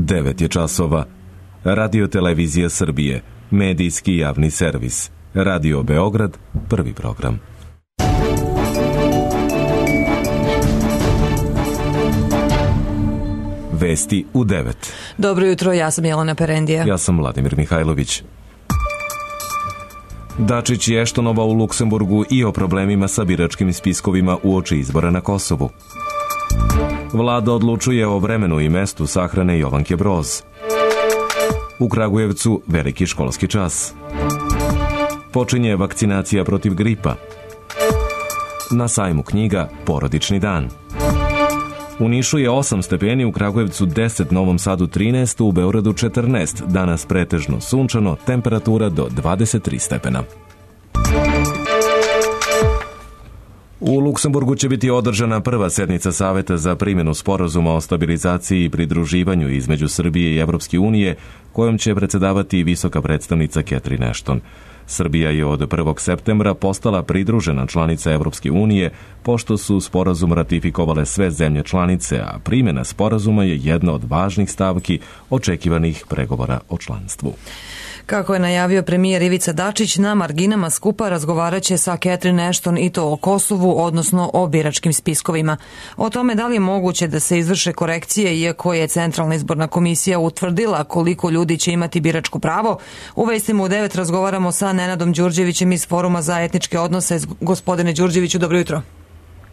9 je časova. Radio Televizija Srbije, medijski javni servis. Radio Beograd, prvi program. Vesti u 9. Dobro jutro, ja sam Jelena Perendija. Ja sam Vladimir Mihajlović. Dačić i Eštonova u Luksemburgu i o problemima sa biračkim spiskovima uoči izbora na Kosovu. Vlada odlučuje o vremenu i mestu sahrane Jovanke Broz. U Kragujevcu veliki školski čas. Počinje vakcinacija protiv gripa. Na sajmu knjiga Porodični dan. U Nišu je 8 stepeni, u Kragujevcu 10, Novom Sadu 13, u Beogradu 14. Danas pretežno sunčano, temperatura do 23 stepena. U Luksemburgu će biti održana prva sednica Saveta za primjenu sporazuma o stabilizaciji i pridruživanju između Srbije i Evropske unije, kojom će predsedavati visoka predstavnica Catherine Ashton. Srbija je od 1. septembra postala pridružena članica Evropske unije, pošto su sporazum ratifikovale sve zemlje članice, a primjena sporazuma je jedna od važnih stavki očekivanih pregovora o članstvu. Kako je najavio premijer Ivica Dačić, na marginama skupa razgovaraće sa Catherine Ashton i to o Kosovu, odnosno o biračkim spiskovima. O tome da li je moguće da se izvrše korekcije, iako je Centralna izborna komisija utvrdila koliko ljudi će imati biračko pravo, u Vestima u 9 razgovaramo sa Nenadom Đurđevićem iz Foruma za etničke odnose. Gospodine Đurđeviću, dobro jutro.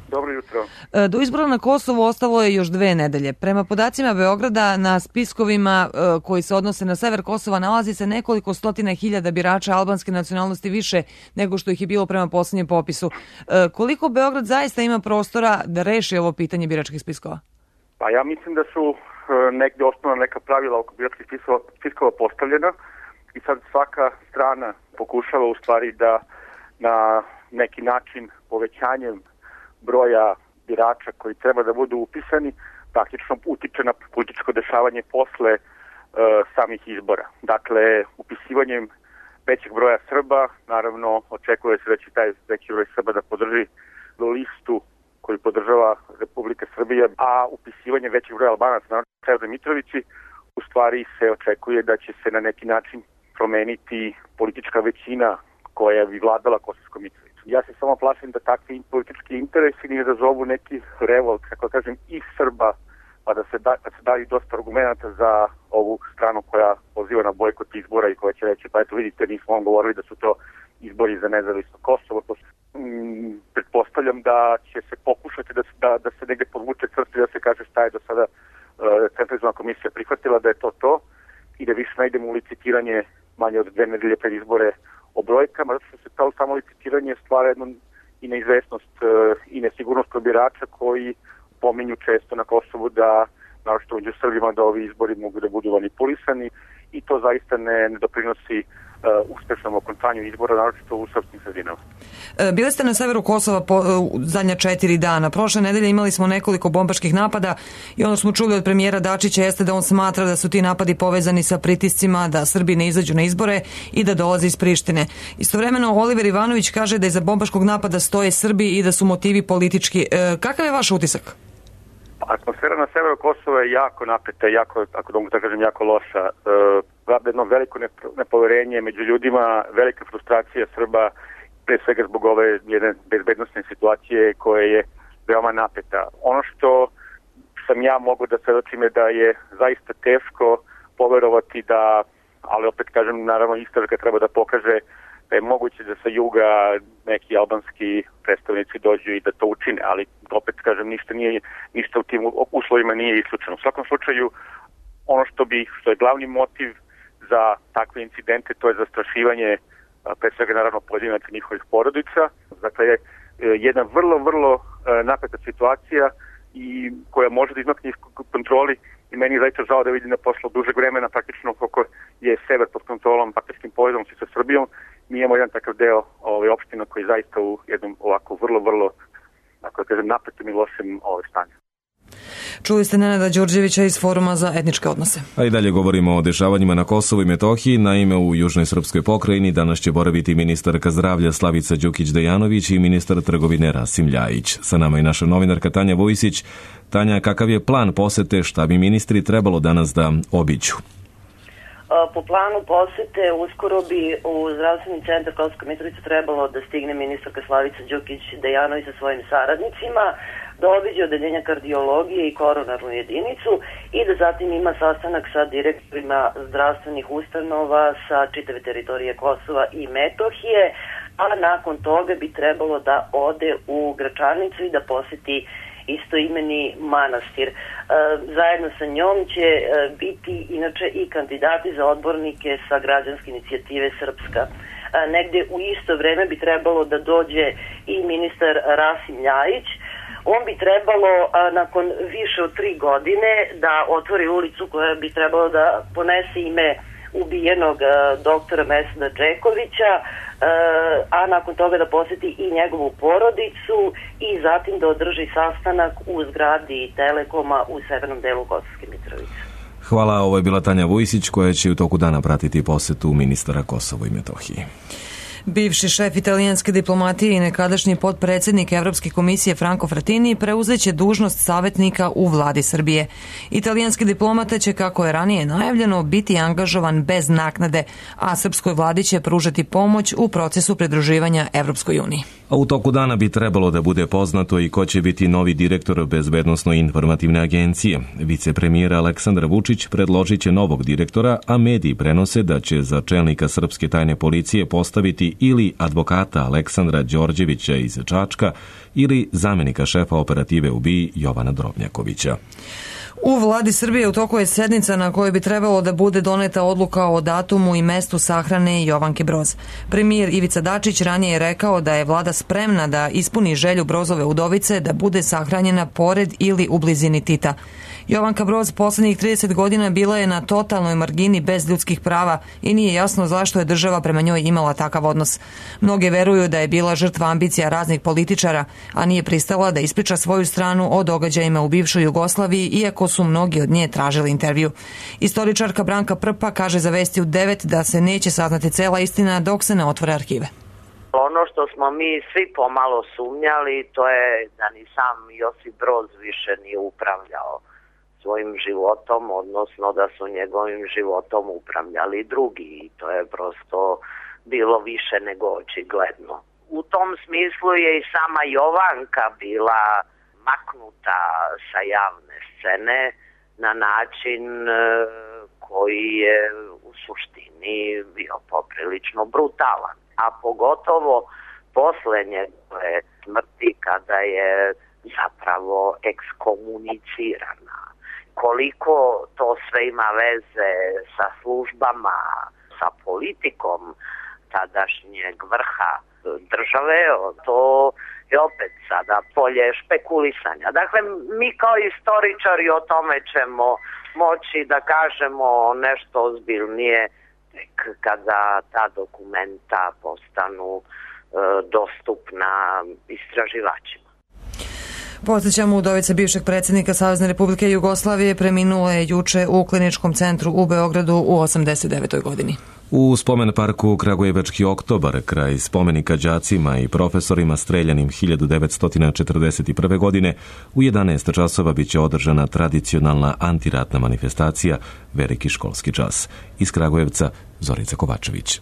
Dobro jutro. Do izbora na Kosovu ostalo je još 2 nedelje. Prema podacima Beograda, na spiskovima koji se odnose na sever Kosova nalazi se nekoliko stotina hiljada birača albanske nacionalnosti više nego što ih je bilo prema posljednjem popisu. Koliko Beograd zaista ima prostora da reši ovo pitanje biračkih spiskova? Pa ja mislim da su negdje osnovna neka pravila oko biračkih spiskova postavljena i sad svaka strana pokušava u stvari da na neki način povećanjem broja birača koji treba da budu upisani praktično utiče na političko dešavanje posle samih izbora. Dakle, upisivanjem većeg broja Srba, naravno očekuje se da će taj veći broj Srba da podrži listu koju podržava Republika Srbija, a upisivanje većeg broja Albanaca, naravno Srpska Mitrovići, u stvari se očekuje da će se na neki način promeniti politička većina koja bi vladala Kosovskom Mitrovicom. Ja se samo plašim da takvi politički interesi ne izazovu neki revolt, kako kažem, i Srba, pa da se daju dosta argumenta za ovu stranu koja poziva na bojkot izbora i koja će reći, pa eto vidite, nismo vam govorili da su to izbori za nezavisno Kosovo. Pretpostavljam da će se pokušati da se negde podvuče crti, da se kaže šta je do sada Centralna komisija prihvatila, da je to i da više ne idemo u licitiranje manje od 2 nedelje pred izbore o brojkama, zato što se to samo licitiranje stvara jednu i neizvesnost i nesigurnost kod birača koji pominju često na Kosovu da, naročito među Srbima, da ovi izbori mogu da budu manipulisani i to zaista ne doprinosi uspešnom okončanju izbora, naročito u srpskim sredinama. Bili ste na severu Kosova zadnja 4 dana. Prošle nedelje imali smo nekoliko bombaških napada i ono smo čuli od premijera Dačića jeste da on smatra da su ti napadi povezani sa pritiscima da Srbi ne izađu na izbore i da dolaze iz Prištine. Istovremeno Oliver Ivanović kaže da iza bombaškog napada stoje Srbi i da su motivi politički. Kakav je vaš utisak? Atmosfera na severu Kosova je jako napeta, jako, ako da mogu da kažem, jako loša. Jedno veliko nepoverenje među ljudima, velika frustracija Srba, pre svega zbog ove jedne bezbednostne situacije koja je veoma napeta. Ono što sam ja mogu da svedočim je da je zaista teško poverovati da, ali opet kažem, naravno istraga treba da pokaže da je moguće da sa juga neki albanski predstavnici dođu i da to učine, ali opet kažem, ništa u tim uslovima nije isključeno. U svakom slučaju, ono što je glavni motiv za takve incidente, to je zastrašivanje pre svega naravno pojedinaca njihovih porodica. Dakle, je jedna vrlo napeta situacija i koja može da izmakne kontroli i meni je zaista žao da vidim da posle dužeg vremena, praktično koliko je sever pod kontrolom, partijskim povezom sa Srbijom, mi imamo jedan takav deo opština koji je zaista u jednom ovako vrlo, ako da kažem, napetom i lošem stanju. Čuli ste Nenada Đurđevića iz Foruma za etničke odnose. A i dalje govorimo o dešavanjima na Kosovu i Metohiji. Naime, u Južnoj srpskoj pokrajini danas će boraviti ministarka zdravlja Slavica Đukić-Dejanović i ministar trgovine Rasim Ljajić. Sa nama je naša novinarka Tanja Vujsić. Tanja, kakav je plan posete, šta bi ministri trebalo danas da obiđu? Po planu posete uskoro bi u zdravstveni centar Kosovska Mitrovica trebalo da stigne ministarka Slavica Đukić-Dejanović sa svojim saradnicima, da obiđe odeljenja kardiologije i koronarnu jedinicu i da zatim ima sastanak sa direktorima zdravstvenih ustanova sa čitave teritorije Kosova i Metohije, a nakon toga bi trebalo da ode u Gračanicu i da poseti istoimeni manastir. Zajedno sa njom će biti inače i kandidati za odbornike sa građanske inicijative Srpska. Negde u isto vreme bi trebalo da dođe i ministar Rasim Ljajić. On bi trebalo nakon više od 3 godine da otvori ulicu koja bi trebalo da ponese ime ubijenog doktora Meseda Džekovića, a nakon toga da poseti i njegovu porodicu i zatim da održi sastanak u zgradi Telekoma u severnom delu Kosovske Mitrovice. Hvala, ovo je bila Tanja Vujsić koja će u toku dana pratiti posetu ministara Kosovo i Metohije. Bivši šef italijanske diplomatije i nekadašnji potpredsjednik Evropske komisije Franco Frattini preuzeće dužnost savjetnika u vladi Srbije. Italijanski diplomata će, kako je ranije najavljeno, biti angažovan bez naknade, a srpskoj vladi će pružati pomoć u procesu pridruživanja Evropskoj uniji. A u toku dana bi trebalo da bude poznato i ko će biti novi direktor Bezbednosno-informativne agencije. Vicepremijera Aleksandar Vučić predložit će novog direktora, a mediji prenose da će za čelnika srpske tajne policije postaviti ili advokata Aleksandra Đorđevića iz Čačka ili zamenika šefa operative u BIA Jovana Drobnjakovića. U vladi Srbije u toku je sednica na kojoj bi trebalo da bude doneta odluka o datumu i mestu sahrane Jovanke Broz. Premijer Ivica Dačić ranije je rekao da je vlada spremna da ispuni želju Brozove udovice da bude sahranjena pored ili u blizini Tita. Jovanka Broz poslednjih 30 godina bila je na totalnoj margini bez ljudskih prava i nije jasno zašto je država prema njoj imala takav odnos. Mnoge veruju da je bila žrtva ambicija raznih političara, a nije pristala da ispriča svoju stranu o događajima u bivšoj Jugoslaviji, iako su mnogi od nje tražili intervju. Istoričarka Branka Prpa kaže za Vesti u 9 da se neće saznati cela istina dok se ne otvore arhive. Ono što smo mi svi pomalo sumnjali, to je da ni sam Josip Broz više nije upravljao svojim životom, odnosno da su njegovim životom upravljali drugi i to je prosto bilo više nego očigledno. U tom smislu je i sama Jovanka bila maknuta sa javne scene na način koji je u suštini bio poprilično brutalan. A pogotovo posle njegove smrti kada je zapravo ekskomunicirana. Koliko to sve ima veze sa službama, sa politikom tadašnjeg vrha države, to je opet sada polje špekulisanja. Dakle, mi kao istoričari o tome ćemo moći da kažemo nešto ozbiljnije tek kada ta dokumenta postanu dostupna istraživačima. Podsjećamo, udovica bivšeg predsjednika Savezne Republike Jugoslavije preminula je juče u kliničkom centru u Beogradu u 89. godini. U spomen parku Kragujevački oktobar, kraj spomenika đacima i profesorima streljanim 1941. godine, u 11 časova biće održana tradicionalna antiratna manifestacija Veliki školski čas. Iz Kragujevca, Zorica Kovačević.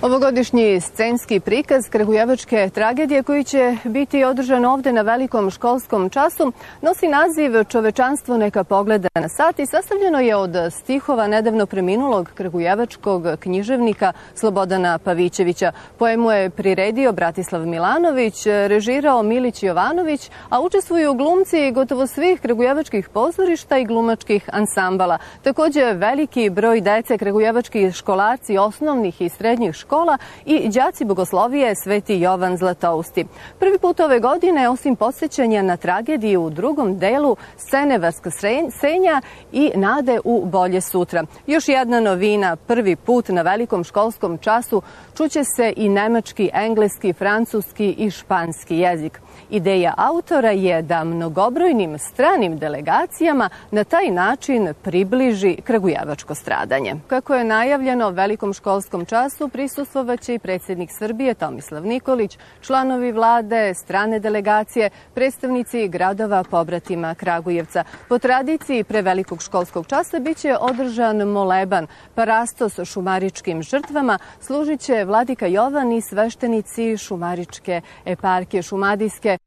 Ovogodišnji scenski prikaz kragujevačke tragedije koji će biti održan ovde na Velikom školskom času nosi naziv Čovečanstvo neka pogleda na sat i sastavljeno je od stihova nedavno preminulog kragujevačkog književnika Slobodana Pavićevića. Poemu je priredio Bratislav Milanović, režirao Milić Jovanović, a učestvuju glumci gotovo svih kragujevačkih pozorišta i glumačkih ansambala. Takođe veliki broj dece, kragujevački školarci osnovnih i srednjih škola i đaci bogoslovije Sveti Jovan Zlatousti. Prvi put ove godine, osim podsjećanja na tragediju u drugom delu, scene vaskrsenja i nade u bolje sutra. Još jedna novina, prvi put na Velikom školskom času čuće se i nemački, engleski, francuski i španski jezik. Ideja autora je da mnogobrojnim stranim delegacijama na taj način približi kragujevačko stradanje. Kako je najavljeno, velikom školskom času prisustvovaće i predsjednik Srbije Tomislav Nikolić, članovi vlade, strane delegacije, predstavnici gradova pobratima Kragujevca. Po tradiciji pre velikog školskog časa biće održan moleban, parastos šumaričkim žrtvama, služit će vladika Jovan i sveštenici šumaričke eparhije šumadijske.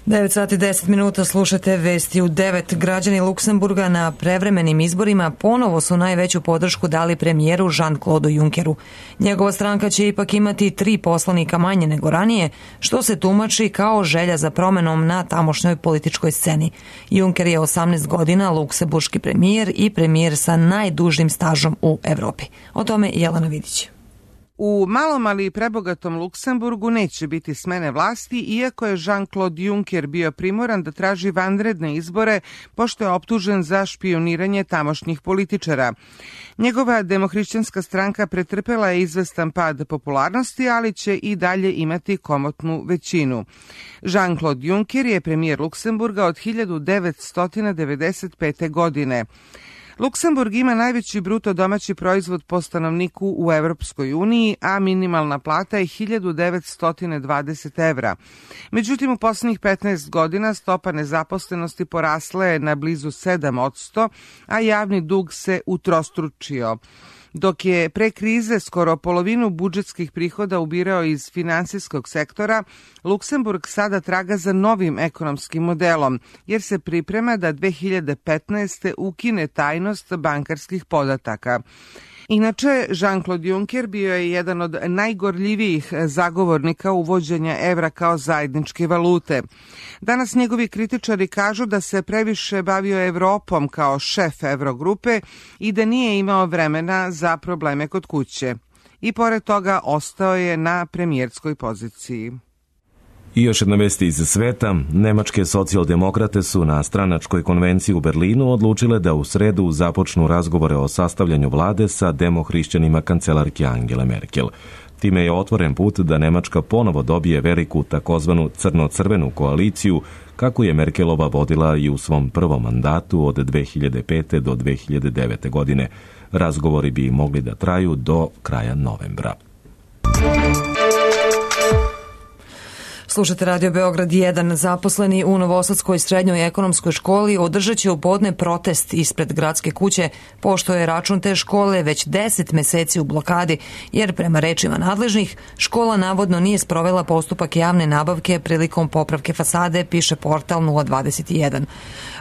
9 sati 10 minuta slušate vesti u 9. Građani Luksemburga na prevremenim izborima ponovo su najveću podršku dali premijeru Jean-Claude Junckeru. Njegova stranka će ipak imati 3 poslanika manje nego ranije, što se tumači kao želja za promenom na tamošnjoj političkoj sceni. Juncker je 18 godina luksemburški premijer i premijer sa najdužim stažom u Evropi. O tome Jelena Vidić. U malom, ali prebogatom Luksemburgu neće biti smene vlasti, iako je Jean-Claude Juncker bio primoran da traži vanredne izbore, pošto je optužen za špijuniranje tamošnjih političara. Njegova demohrišćanska stranka pretrpela je izvestan pad popularnosti, ali će i dalje imati komotnu većinu. Jean-Claude Juncker je premijer Luksemburga od 1995. godine. Luksemburg ima najveći bruto domaći proizvod po stanovniku u Evropskoj uniji, a minimalna plata je 1920 evra. Međutim, u poslednjih 15 godina stopa nezaposlenosti porasla je na blizu 7%, a javni dug se utrostručio. Dok je pre krize skoro polovinu budžetskih prihoda ubirao iz finansijskog sektora, Luksemburg sada traga za novim ekonomskim modelom, jer se priprema da 2015. ukine tajnost bankarskih podataka. Inače, Jean-Claude Juncker bio je jedan od najgorljivijih zagovornika uvođenja evra kao zajedničke valute. Danas njegovi kritičari kažu da se previše bavio Evropom kao šef Evrogrupe i da nije imao vremena za probleme kod kuće. I pored toga ostao je na premijerskoj poziciji. I još jedna vest iz sveta. Nemačke socijaldemokrate su na stranačkoj konvenciji u Berlinu odlučile da u sredu započnu razgovore o sastavljanju vlade sa demohrišćanima kancelarke Angele Merkel. Time je otvoren put da Nemačka ponovo dobije veliku takozvanu crno-crvenu koaliciju, kako je Merkelova vodila i u svom prvom mandatu od 2005. do 2009. godine. Razgovori bi mogli da traju do kraja novembra. Slušate Radio Beograd 1. Zaposleni u Novosadskoj srednjoj ekonomskoj školi održat će u podne protest ispred gradske kuće, pošto je račun te škole već 10 meseci u blokadi, jer prema rečima nadležnih, škola navodno nije sprovela postupak javne nabavke prilikom popravke fasade, piše portal 021.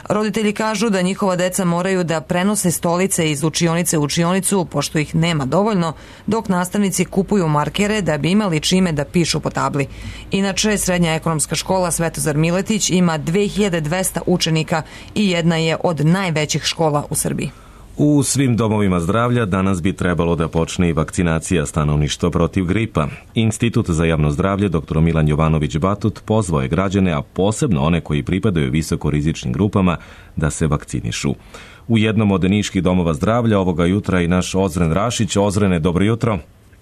Roditelji kažu da njihova deca moraju da prenose stolice iz učionice u učionicu, pošto ih nema dovoljno, dok nastavnici kupuju markere da bi imali čime da pišu po tabli. Inače, Srednja ekonomska škola Svetozar Miletić ima 2200 učenika i jedna je od najvećih škola u Srbiji. U svim domovima zdravlja danas bi trebalo da počne i vakcinacija stanovništva protiv gripa. Institut za javno zdravlje dr. Milan Jovanović Batut pozvao je građane, a posebno one koji pripadaju visokorizičnim grupama, da se vakcinišu. U jednom od niških domova zdravlja ovoga jutra i naš Ozren Rašić. Ozrene, dobro jutro.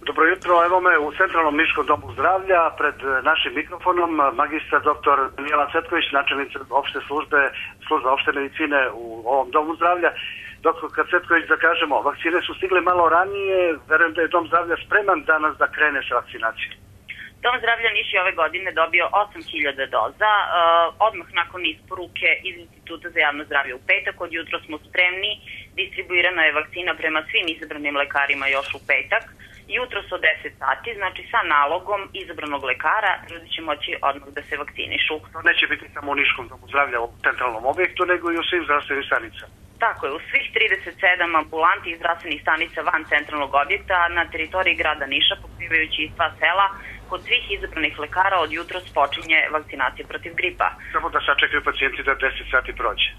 Dobro jutro, evo me u Centralnom niškom domu zdravlja pred našim mikrofonom magistar dr. Mijela Cvetković, načelnica opšte službe opšte medicine u ovom domu zdravlja. Doktor Cvetković, da kažemo, vakcine su stigle malo ranije, verujem da je dom zdravlja spreman danas da krene sa vakcinacijom. Dom zdravlja Niš je ove godine dobio 8.000 doza, odmah nakon isporuke iz Instituta za javno zdravlje u petak. Od jutro smo spremni, distribuirana je vakcina prema svim izabranim lekarima još u petak. Jutro su 10 sati, znači sa nalogom izabranog lekara ljudi će moći odmah da se vakcinišu. To neće biti samo u Niškom domu zdravlja u centralnom objektu, nego i u svim zdravstvenim stanicama. Tako je, u svih 37 ambulanti i zdravstvenih stanica van centralnog objekta na teritoriji grada Niša, pokrivajući i sva sela, kod svih izabranih lekara od jutros počinje vakcinacija protiv gripa. Samo da sačekaju pacijenti da 10 sati prođe.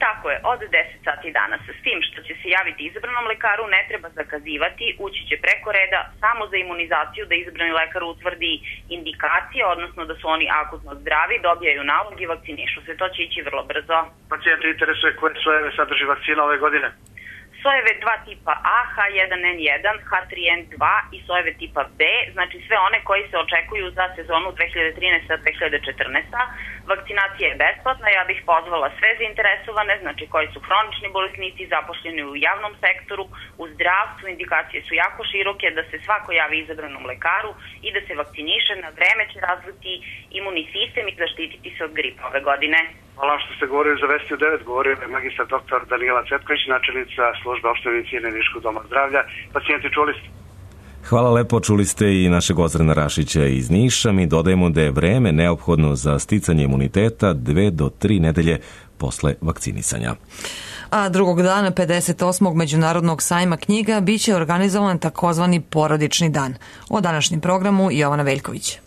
Tako je, od 10 sati danas. S tim što će se javiti izabranom lekaru, ne treba zakazivati, ući će preko reda samo za imunizaciju, da izabrani lekar utvrdi indikacije, odnosno da su oni akutno zdravi, dobijaju nalog i vakcinišu se. To će ići vrlo brzo. Pacijenti interesuje koje slojeve sadrži vakcina ove godine? sojeve 2 tipa A, H1N1, H3N2 i sojeve tipa B, znači sve one koji se očekuju za sezonu 2013-2014. Vakcinacija je besplatna, ja bih pozvala sve zainteresovane, znači koji su hronični bolesnici, zaposleni u javnom sektoru, u zdravstvu, indikacije su jako široke, da se svako javi izabranom lekaru i da se vakciniše, na vreme će razviti imunni sistem i zaštititi se od gripa ove godine. Hvala što ste govorili za Vesti u 9, govorio je magistar dr. Danijela Cvetković, načelnica službe opšte medicine Niškog doma zdravlja. Pacijenti, čuli ste? Hvala lepo, čuli ste i našeg Ozrena Rašića iz Niša. Mi dodajemo da je vreme neophodno za sticanje imuniteta 2 do 3 nedelje posle vakcinisanja. A drugog dana 58. Međunarodnog sajma knjiga biće organizovan takozvani porodični dan. O današnjem programu Jovana Veljković.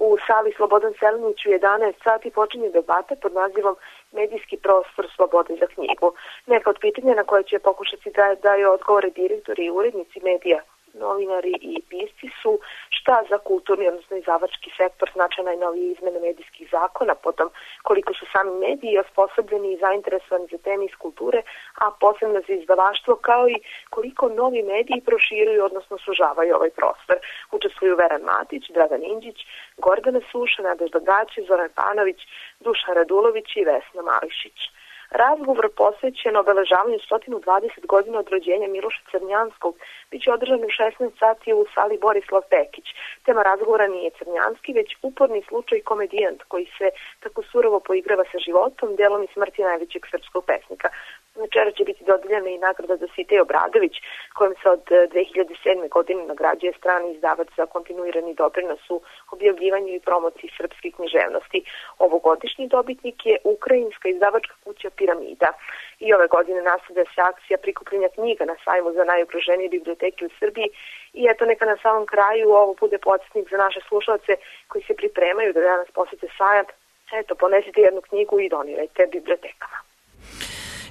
U sali Slobodan Selinić u 11 sati počinje debata pod nazivom Medijski prostor slobode za knjigu. Neka od pitanja na koje će pokušati da daju odgovore direktori i urednici medija, novinari i pisci su šta za kulturni, odnosno izdavački sektor znače najnovije izmene medijskih zakona, potom koliko su sami mediji osposobljeni i zainteresovani za teme iz kulture, a posebno za izdavaštvo, kao i koliko novi mediji proširuju, odnosno sužavaju ovaj prostor. Učestvuju Veran Matić, Dragan Indžić, Gordana Suša, Nadežda Gaće, Zoran Panović, Dušan Radulović i Vesna Mališić. Razgovor posvećen obeležavanju 120 godina od rođenja Miloša Crnjanskog biće održan u 16 sati u sali Borislav Pekić. Tema razgovora nije Crnjanski, već uporni slučaj komedijant koji se tako surovo poigrava sa životom, delom i smrti najvećeg srpskog pesnika. Večera će biti dodeljena i nagrada za Sitej Obradović, kojom se od 2007. godine nagrađuje strani izdavač za kontinuirani doprinos u objavljivanju i promociji srpske književnosti. Ovogodišnji dobitnik je ukrajinska izdavačka kuća Piramida. I ove godine nastavlja se akcija prikupljanja knjiga na sajmu za najugroženije biblioteke u Srbiji. I eto, neka na samom kraju ovo bude podsjetnik za naše slušalce koji se pripremaju da danas posete sajam. Eto, ponesite jednu knjigu i donirajte bibliotekama.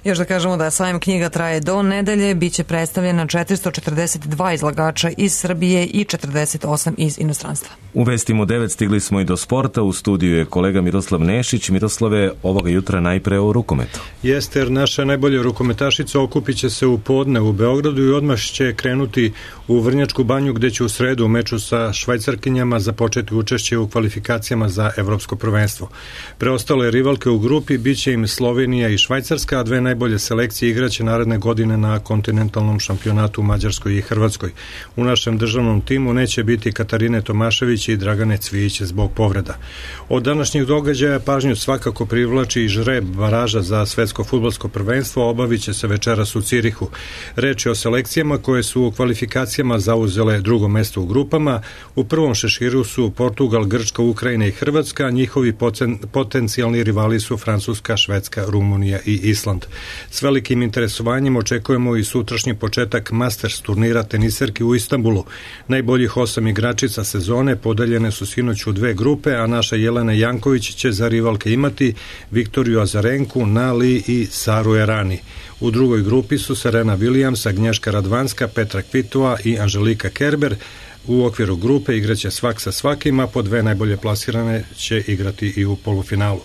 Još da kažemo da sajam knjiga traje do nedelje, bit će predstavljena 442 izlagača iz Srbije i 48 iz inostranstva. U Vestima 9 stigli smo i do sporta. U studiju je kolega Miroslav Nešić. Miroslave, ovoga jutra najpre o rukometu. Jeste, jer naša najbolja rukometašica okupit će se u podne u Beogradu i odmah će krenuti u Vrnjačku banju, gde će u sredu u meču sa Švajcarkinjama započeti učešće u kvalifikacijama za evropsko prvenstvo. Preostale rivalke u grupi biće im Slovenija i Švajcarska, a dve najbolje selekcije igraće naredne godine na kontinentalnom šampionatu u Mađarskoj i Hrvatskoj. U našem državnom timu neće biti Katarine Tomašević i Dragane Cvijić zbog povreda. Od današnjih događaja pažnju svakako privlači i žreb baraža za svetsko fudbalsko prvenstvo, obavit će se večeras u Cirihu. Reč je o selekcijama koje su u kvalifikacijama zauzele drugo mesto u grupama. U prvom šeširu su Portugal, Grčka, Ukrajina i Hrvatska, a njihovi potencijalni rivali su Francuska, Švedska, Rumunija i Island. S velikim interesovanjem očekujemo i sutrašnji početak Masters turnira teniserki u Istanbulu. Najboljih 8 igračica sezone podeljene su sinoć u dve grupe, a naša Jelena Janković će za rivalke imati Viktoriju Azarenku, Nali i Saru Erani. U drugoj grupi su Serena Williams, Agnješka Radvanska, Petra Kvitova i Anželika Kerber. U okviru grupe igraće svak sa svakim, a po dve najbolje plasirane će igrati i u polufinalu.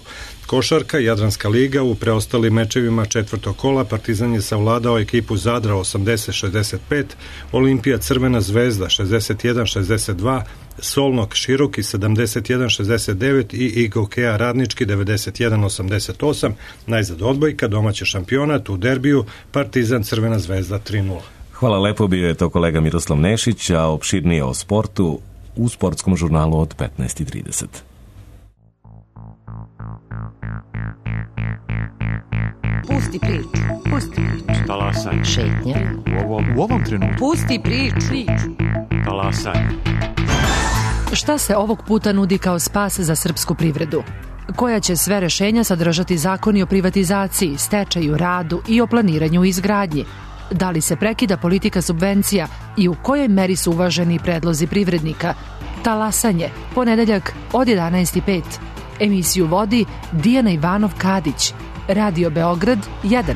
Košarka, Jadranska liga, u preostalim mečevima četvrtog kola Partizan je savladao ekipu Zadra 80-65, Olimpija Crvena zvezda 61-62, Solnok Široki 71-69 i Igokea Radnički 91-88, najzad odbojka, domaći šampionat u derbiju Partizan Crvena zvezda 3-0. Hvala lepo, bio je to kolega Miroslav Nešić, a opširnije o sportu u sportskom žurnalu od 15:30. Pusti priču. Talasaj. Šetnja. U ovom trenutku. Pusti priču. Talasaj. Šta se ovog puta nudi kao spas za srpsku privredu? Koja će sve rešenja sadržati zakoni o privatizaciji, stečaju, radu i o planiranju i izgradnji? Da li se prekida politika subvencija i u kojoj meri su uvaženi predlozi privrednika? Talasanje, ponedeljak od 11:05. Emisiju vodi Dijana Ivanov-Kadić. Radio Beograd 1.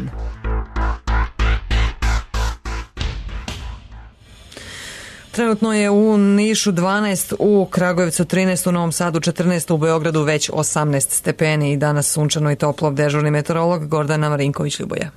Trenutno je u Nišu 12, u Kragujevcu 13, u Novom Sadu 14, u Beogradu već 18 stepeni i danas sunčano i toplo. Dežurni meteorolog Gordana Marinković-Ljuboja.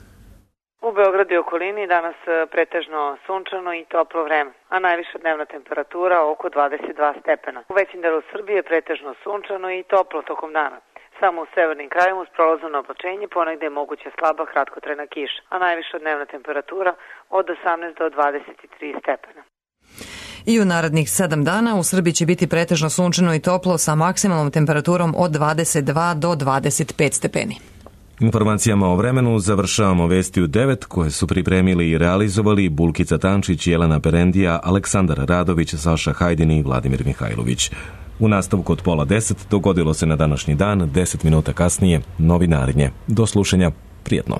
U Beogradu i okolini danas pretežno sunčano i toplo vreme, a najviša dnevna temperatura oko 22 stepena. U većim delu Srbije pretežno sunčano i toplo tokom dana. Samo u severnim krajevima uz prolazno oblačenje ponegde je moguća slaba kratkotrajna kiša, a najviša dnevna temperatura od 18 do 23 stepena. I u narednih 7 dana u Srbiji će biti pretežno sunčano i toplo sa maksimalnom temperaturom od 22 do 25 stepeni. Informacijama o vremenu završavamo vesti u 9 koje su pripremili i realizovali Bulkica Tančić, Jelena Perendija, Aleksandar Radović, Saša Hajdin i Vladimir Mihajlović. U nastavku od 9:30 dogodilo se na današnji dan, 10 minuta kasnije, novinarinje. Do slušanja, prijetno.